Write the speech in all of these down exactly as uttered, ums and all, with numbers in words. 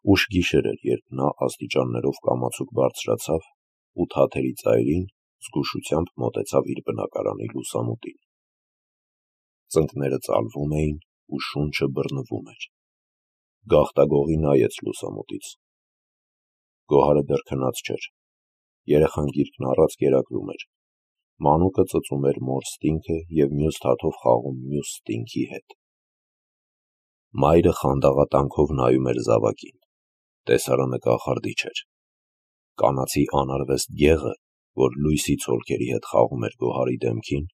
Ուշ գիշեր էր, երբ նա աստիճաններով կամացուկ բարձրացավ ու թաթերի ծայրին զգուշությամբ մոտեցավ իր բնակարանի լուսամուտին։ Ծնկները ծալվում էին ու շունչը բռնվում էր։ Գաղտագողի նայեց լուսամուտից։ Գոհարը դեռ քնած չէր։ Երեխան գիրկն առած կերակրում էր։ Մանուկը ծծում էր մոր ստինգը և մյուս թաթով խաղում մյուս ստինգի հետ։ Մայրը խանդաղատանքով նայում էր զավակին։ Տեսարանը կախարդիչ էր։ Կանացի անարվեստ գեղը, որ լույսի ցոլքերի հետ խաղում էր Գոհարի դեմքին,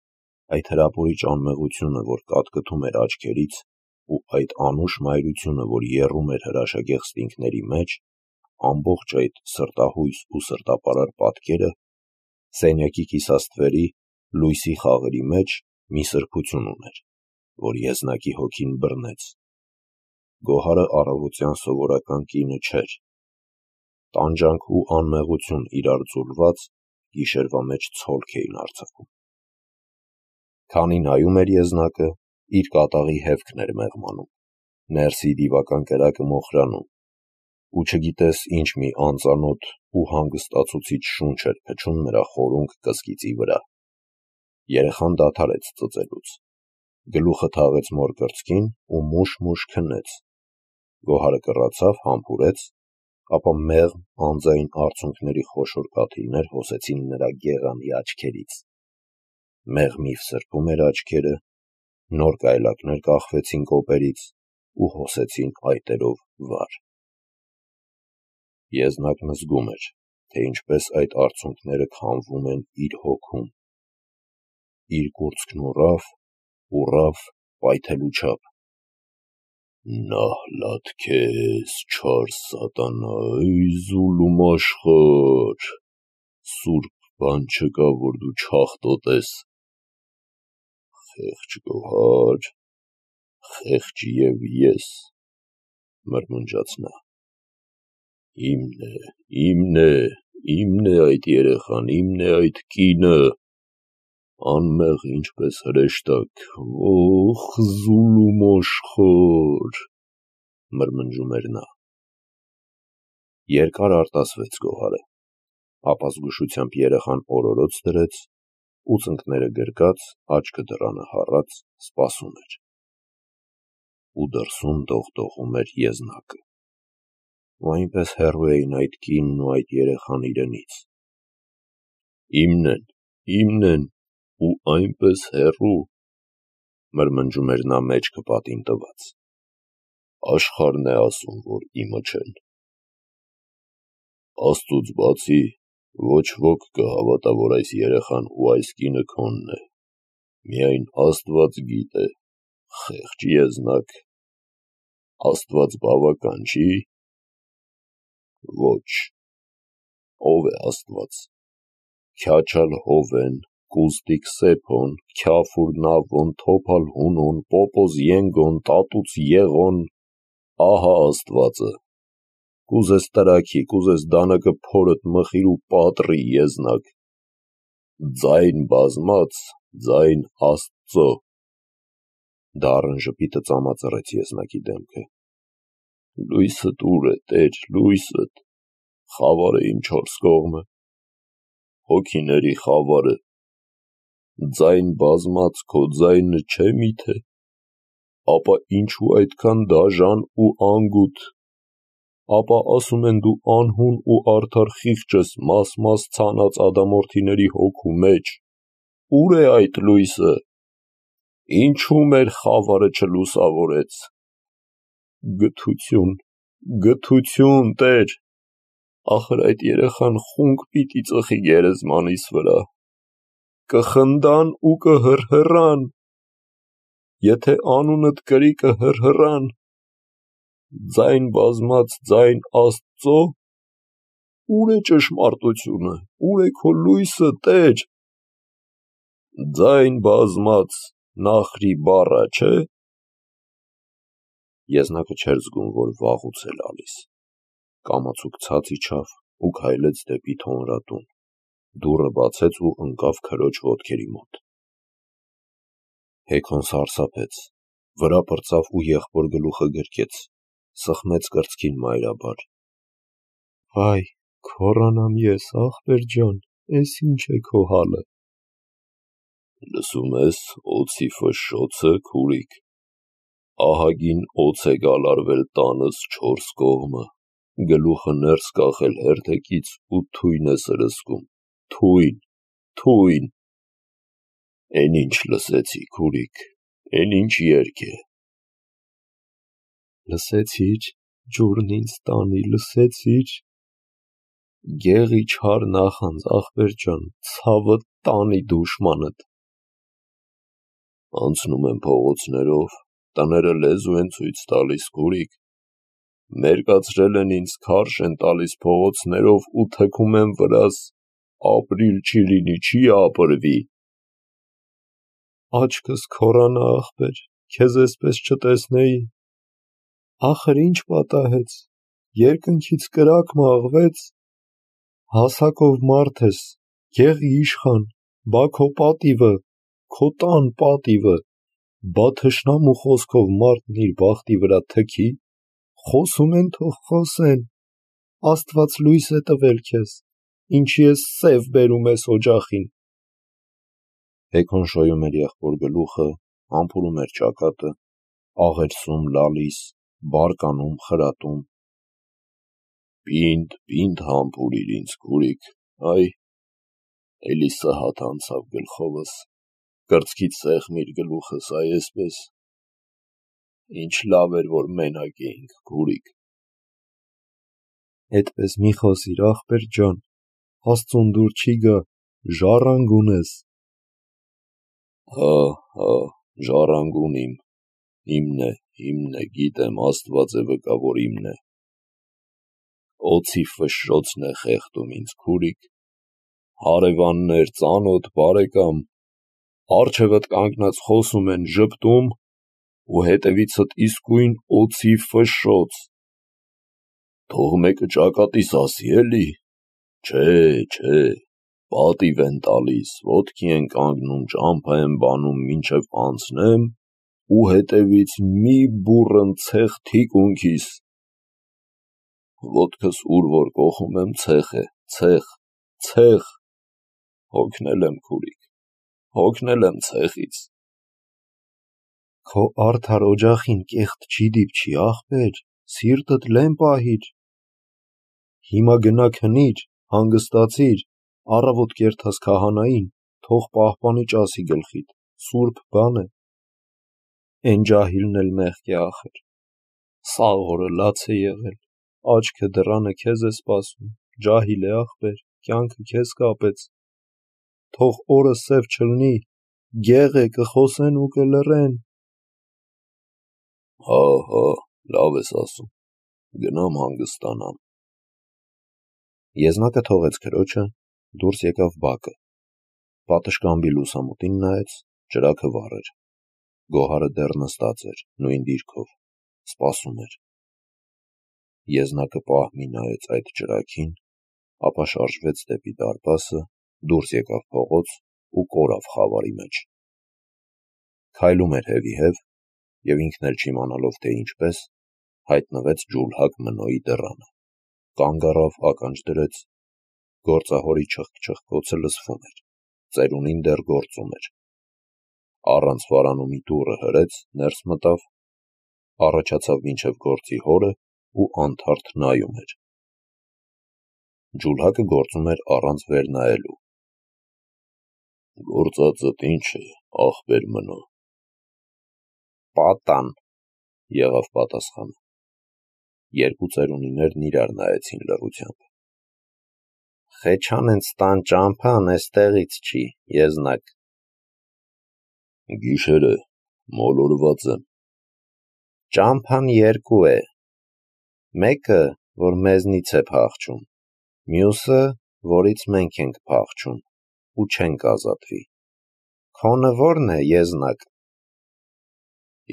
այդ հրապուրիչ անմեղությունը, որ կատկտում էր աչքերից, ու այդ անուշ մայրությունը, որ եռում էր հրաշագեղ ստինգների մեջ, ամբողջ այդ սրտահույս ու սրտապարար պատկերը սենյակի կիսաստվերի լույսի խաղերի մեջ մի սրբություն ուներ, որ եզնակի հոգին բռնեց։ Գոհարը առավոտյան սովորական կինը չէր։ Տանջանք ու անմեղություն իրար ձուլված գիշերվա մեջ ցոլք էին արձակում։ Քանի նայում էր եզնակը, իր կատաղի հեվքն էր մեղմանում, ներսի դիվական կրակը մոխրանում, ու չգիտես ինչ մի անծանոթ ու հանգստացուցիչ շունչ էր փչում նրա խորունկ կսկիծի վրա։ Երեխան դադարեց ծծելուց։ Գլուխը թաղեց մոր կրծքին ու մուշ-մուշ քնեց։ Գոհարը կռացավ, համբուրեց, ապա մեղմ անձայն արցունքների խոշոր կաթիլներ հոսեցին նրա գեղանի աչքերից։ Մեղմիվ սրբում էր աչքերը, նոր կայլակներ կախվեցին կոպերից ու հոսեցին այտերով վար։ Եզնակն զգում էր, թե ինչպես այդ արցունքները քամվում են իր հոգում։ Իր կուրծքն ուռավ, ուռավ պայթելու չափ։ Նահլատ քեզ, չար սատանայ, զուլում աշխարհ, սուրբ բան չկա, որ դու չաղտոտես։ Խեղճ Գոհար, խեղճ և ես, մրմնջաց նա։ Իմն է, իմն է, իմն է այդ երեխան, իմն է այդ կինը, անմեղ ինչպես հրեշտակ, ոխ, զուլում աշխարհ, մրմնջում էր նա։ Երկար արտասվեց Գոհարը, ապա զգուշությամբ երեխան օրորոց դրեց ու ծնկները գրկած, աչքը դռանը հառած սպասում էր։ Ու դրսում դողդողում էր եզնակը։ Ու այնպես հեռու էին այդ կինն ու այդ երեխան իրենից։ Իմն են, իմն են, ու այնպես հեռու, մրմնջում էր նա մեջքը պատին տված։ Աշխարհն է ասում, որ իմը չեն։ Աստծուց բացի ոչ ոք կհավատա, որ այս երեխան ու այս կինը քոնն է։ Միայն Աստված գիտե, խեղճ եզնակ, Աստված բավական չի։ Ոչ, ով է Աստված։ Քյաչալ Հովեն, Կուզտիկ Սեփոն, Քյաֆուր Նավոն, Թոփալ Հունոն, Պոպոզ Ենգոն, Տատուց Եղոն, ահա Աստվածը։ Կուզես տրաքի, կուզես դանակը փորդ մխիր ու պատռի եզնակ։ Ձայն բազմաց, ձայն Աստծո։ Դառն ժպիտը ծամածռեց եզնակի դեմքը։ Լույսդ ուր է, Տեր, լույսդ, խավարը իմ չորս կողմը, հոգիների խավարը, ձայն բազմաց քո ձայնը չէ միթե, ապա ինչու այդքան դաժան ու անգութ, ապա ասում են դու անհուն ու արդար խիղճ ես մաս-մաս ցանած ադամորդիների հոգու մեջ, ուր է այդ լույսը, ինչու մեր խավարը չլուսավորեց։ Գթություն, գթություն, Տեր, ախր այդ երեխան խունկ պիտի ծխի գերեզմանիս վրա, կխնդան ու կհռհռան, եթե անունդ կրի կհռհռան, ձայն բազմաց, ձայն Աստծո, ուր է ճշմարտությունը, ուր է քո լույսը, Տեր։ Ձայն բազմաց, Նախրի բառա, չէ։ Եզնակը չէր զգում, որ վաղուց է լալիս։ Կամացուկ ցած իջավ ու քայլեց դեպի թոնրատուն, դուռը բացեց ու ընկավ քրոջ ոտքերի մոտ։ Հեքոն սարսափեց, վրա պրծավ ու եղբոր գլուխը գրկեց, սխմեց կրծքին մայրաբար։ Վայ, քորանամ ես, ախպեր ջան, էս ինչ է քո հալը։ Լսում ես օձի ֆշշոցը, քուրիկ, ահագին օձ է գալարվել տանս չորս կողմը, գլուխը ներս կախել հերթեկից ու թույն է սրսկում, թույն, թույն։ Էն ինչ լսեցի, քուրիկ, էն ինչ երգ է։ Լսեցի՞ր, ջուրն ինձ տանի, լսեցի՞ր։ Գեղի չար նախանձ, ախպեր ջան, ցավը տանի դուշմանդ։ Անցնում եմ փողոցներով, տները լեզու են ցույց տալիս, քուրիկ, մերկացրել են ինձ, քարշ են տալիս փողոցներով ու թքում են վրաս, ապրիլ չի լինի, չի ապրվի։ Աչքս քորանա, ախպեր, քեզ էսպես չտեսնեի։ Ախր ինչ պատահեց, երկնքից կրակ մաղվեց, հասակով մարդ ես, գեղի իշխան, բա քո պատիվը, քո տան պատիվը, բա թշնամու խոսքով մարդն իր բախտի վրա թքի, խոսում են թող խոսեն, Աստված լույս է տվել քեզ, ինչի ես սև բերում ես օջախին։ Հեքոն շոյում էր եղբոր գլուխը, համբուրում էր ճակատը, աղերսում լալիս, բարկանում, խրատում։ Պինդ, պինդ համբուրիր ինձ, քուրիկ, այ, էլի սհատ անցավ գլխովս, կրծքից սեղմիր գլուխս, այ էսպես։ Ինչ լավ էր, որ մենակ էինք, քուրիկ։ Էդպես մի խոսիր, ախպեր ջան, Աստծուն դուր չի գա, ժառանգուն ես։ Հա, հա, ժառանգուն իմ, իմն է, իմն է, գիտեմ, Աստված է վկա, որ իմն է։ Օձի ֆշշոցն է խեղդում ինձ, քուրիկ, հարևաններ, ծանոթ, բարեկամ, առջևդ կանգնած խոսում են, ժպտում, ու հետևիցդ իսկույն օձի ֆշշոց։ Թող մեկը ճակատիս ասի, էլի, չէ, չէ, պատիվ են տալիս, ոտքի են կանգնում, ճամփա են բանում, մինչև անցնեմ, ու հետևից մի բուռն ցեխ թիկունքիս։ Ոտքս ուր որ կոխում եմ, ցեխ է, ցեխ, ցեխ, հոգնել եմ, քուրիկ, հոգնել եմ ցեխից։ Քո արդար օջախին կեղտ չի դիպչի, ախպեր, սիրտդ լեն պահիր։ Հիմա գնա քնիր, հանգստացիր, առավոտ կերթաս քահանային, թող պահպանի ճասի գլխիդ, սուրբ բան է։ Էն ջահիլն էլ մեղք է ախր, սաղ օրը լաց է եղել, աչքը դռանը քեզ է սպասում, ջահիլ է ախպեր, կյանքը քեզ կապեց, թող օրը սև չլնի, գեղ է, կխոսեն ու կլռեն։ Հա, հա, լավ ես ասում, գնամ հանգստանամ։ Եզնակը թողեց քրոջը, դուրս եկավ բակը, պատշգամբի լուսամուտին նայեց, ճրագը վառ էր, Գոհարը դեռ նստած էր, նույն դիրքով, սպասում էր։ Եզնակը պահմի նայեց այդ ճրագին, ապա շարժվեց դեպի դարպասը, դուրս եկավ փողոց ու կորավ խավարի մեջ։ Քայլում էր հևիհև, և ինքն էլ չիմանալով թե ինչպես, հայտնվեց ջուլհակ Մնոյի դռանը, կանգ առավ, ականջ դրեց, գործահորի չխկ-չխկոցը լսվում էր, ծերունին դեռ գործում էր։ Առանց վարանումի դուռը հրեց, ներս մտավ, առաջացավ մինչև գործի հորը ու անթարթ նայում էր։ Ջուլհակը գործում էր առանց վեր նայելու։ Գործածդ ինչ է, ախպեր Մնո։ Պատան, եղավ պատասխանը։ Երկու ծերունիներն իրար նայեցին լռությամբ։ Խեչան են ստան ճամփան էստեղից չի, եզնակ։ Գիշեր է, մոլորված եմ։ Ճամփան երկու է, մեկը, որ մեզնից է փախչում, մյուսը, որից մենք ենք փախչում, ու չենք ազատվի։ Քոնը որն է, եզնակ։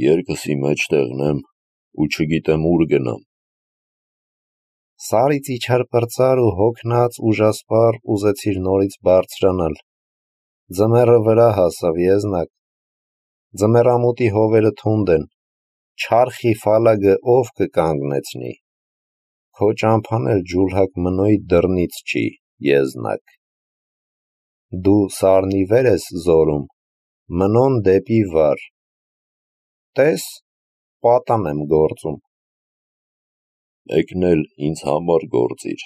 Երկսի մեջտեղն եմ, ու չգիտեմ ուր գնամ։ Սարից իջար պրծար ու հոգնած ուժասպառ ուզեցիր նորից բարձրանալ։ Ձմեռը վրա հասավ, եզնակ։ Ձմեռամուտի հովերը թունդ են, չարխի ֆալագը ով կկանգնեցնի, քո ճամփան էլ ջուլհակ մնոյ դռնից չի, եզնակ, դու սարնի վեր ես զորում, մնոն դեպի վար, տես, պատան եմ գործում, մեկն էլ ինձ համար գործիր,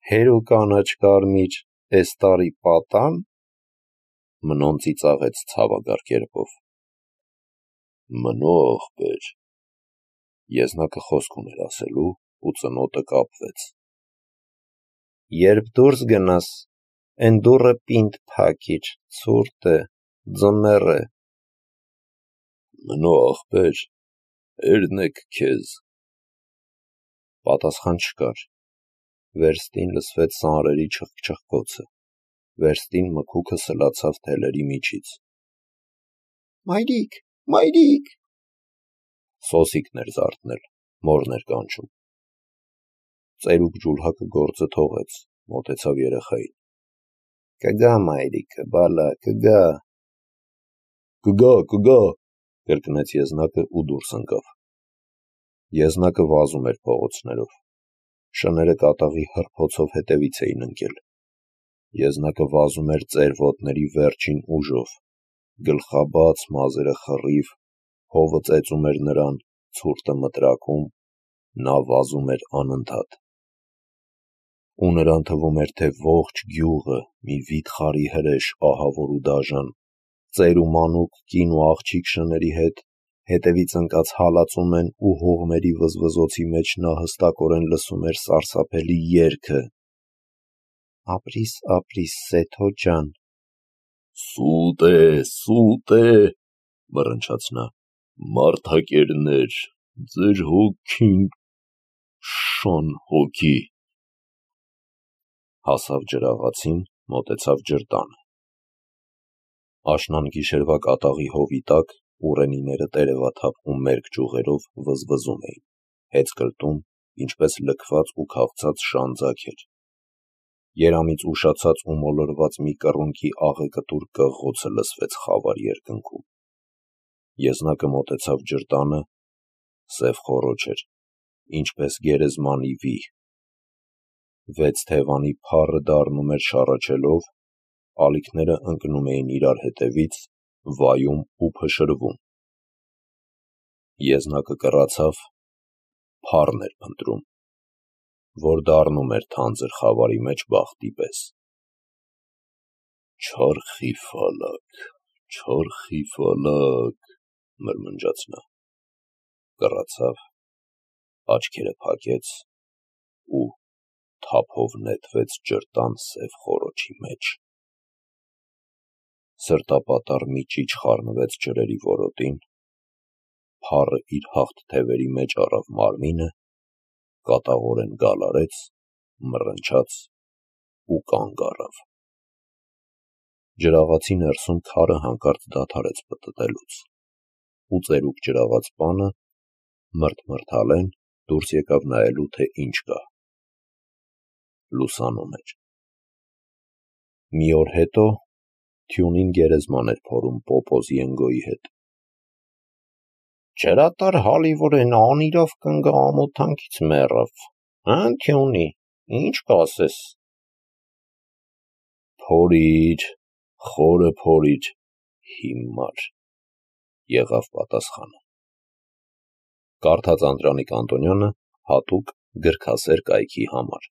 հերու կանաչ կարմիր, էս տարի պատան, մնոն ծիծաղեց ցավագար կերպով, մնո ախպեր, եզնակը խոսք ուներ ասելու ու ծնոտը կապվեց, երբ դուրս գնաս, են դուրը պինդ փակիր, ցուրտ է, ձմեռ է, մնո ախպեր, էրնեք քեզ, պատասխան չկար, վերստին լսվեց սանրերի չխկչխկոցը, վերստին մքուքը սլացավ թելերի միջից, մայրիկ, մայրիկ, սոսիկն էր զարթնել, մորն էր կանչում, ծերուկ ջուլհակը գործը թողեց, մոտեցավ երեխային, կգա մայրիկը, բալա, կգա, կգա, կգա, կրկնեց եզնակը ու դուրս ընկավ, եզնակը վազում էր փողոցներով, շները կատաղի հրփոցով հետևից էին ընկել, եզնակը վազում էր ծեր ոտների վերջին ուժով, գլխաբաց, մազերը խռիվ, հովը ծեծում էր նրան, ցուրտը մտրակում, նա վազում էր անընդհատ, ու նրան թվում էր, թե ողջ գյուղը մի վիթխարի հրեշ ահավոր ու դաժան, ծեր ու մանուկ կին ու աղջիկ շների հետ, հետևից ընկած հալածում են ու հողմերի վզվզոցի մեջ նա հստակորեն լսում էր սարսափելի երգը, ապրիս, ապրիս, Սեթո ջան, սուտ է, սուտ է, մռնչաց նա, մարդակերներ, ձեր հոգին, շան հոգի, հասավ ջրաղացին, մոտեցավ ջրտանը, աշնան գիշերվա կատաղի հովի տակ, ուռենիները տերևաթափ ու մերկ ճյուղերով վզվզում էին, հեծ կրտում, ինչպես լքված ու քաղցած շան ձագեր, երամից ուշացած ու մոլորված մի կռունկի աղեկտուր կղղոցը լսվեց խավար երկնքում, եզնակը մոտեցավ ջրտանը, սև խոռոչ էր, ինչպես գերեզմանի վի, վեց թևանի փառը դառնում էր շառաչելով, ալիքները ընկնում էին իրար հետևից, վայում ու փշրվում, եզնակը կռացավ, փառն էր փնտրում, որ դառնում էր թանձր խավարի մեջ բախտի պես, չարխի ֆալակ, չարխի ֆալակ, մրմնջաց նա, կռացավ, աչքերը փակեց ու թափով նետվեց ջրտան սև խոռոչի մեջ, սրտապատառ մի ճիչ խառնվեց ջրերի որոտին, փառը իր հաղթ թևերի մեջ առավ մարմինը, կատաղորեն գալարեց, մռնչաց ու կանգ առավ, ջրաղացի ներսում քարը հանկարծ դադարեց պտտելուց, ու ծերուկ ջրաղաց պանը, մրթմրթալեն դուրս եկավ նայելու, թե ինչ կա, լուսանում էր, մի օր հետո թյունին գերեզման էր փորում Պոպոզ Ենգոյի հետ, ջրատար Հալիվորեն անիրավ կնգա ամոթանքից մեռավ, հը՞ն թյունի, ինչ կասես, փորիր, խորը փորիր, հիմար, եղավ պատասխանը, կարդաց Անդրանիկ Անտոնյանը հատուկ գրքասեր կայքի համար։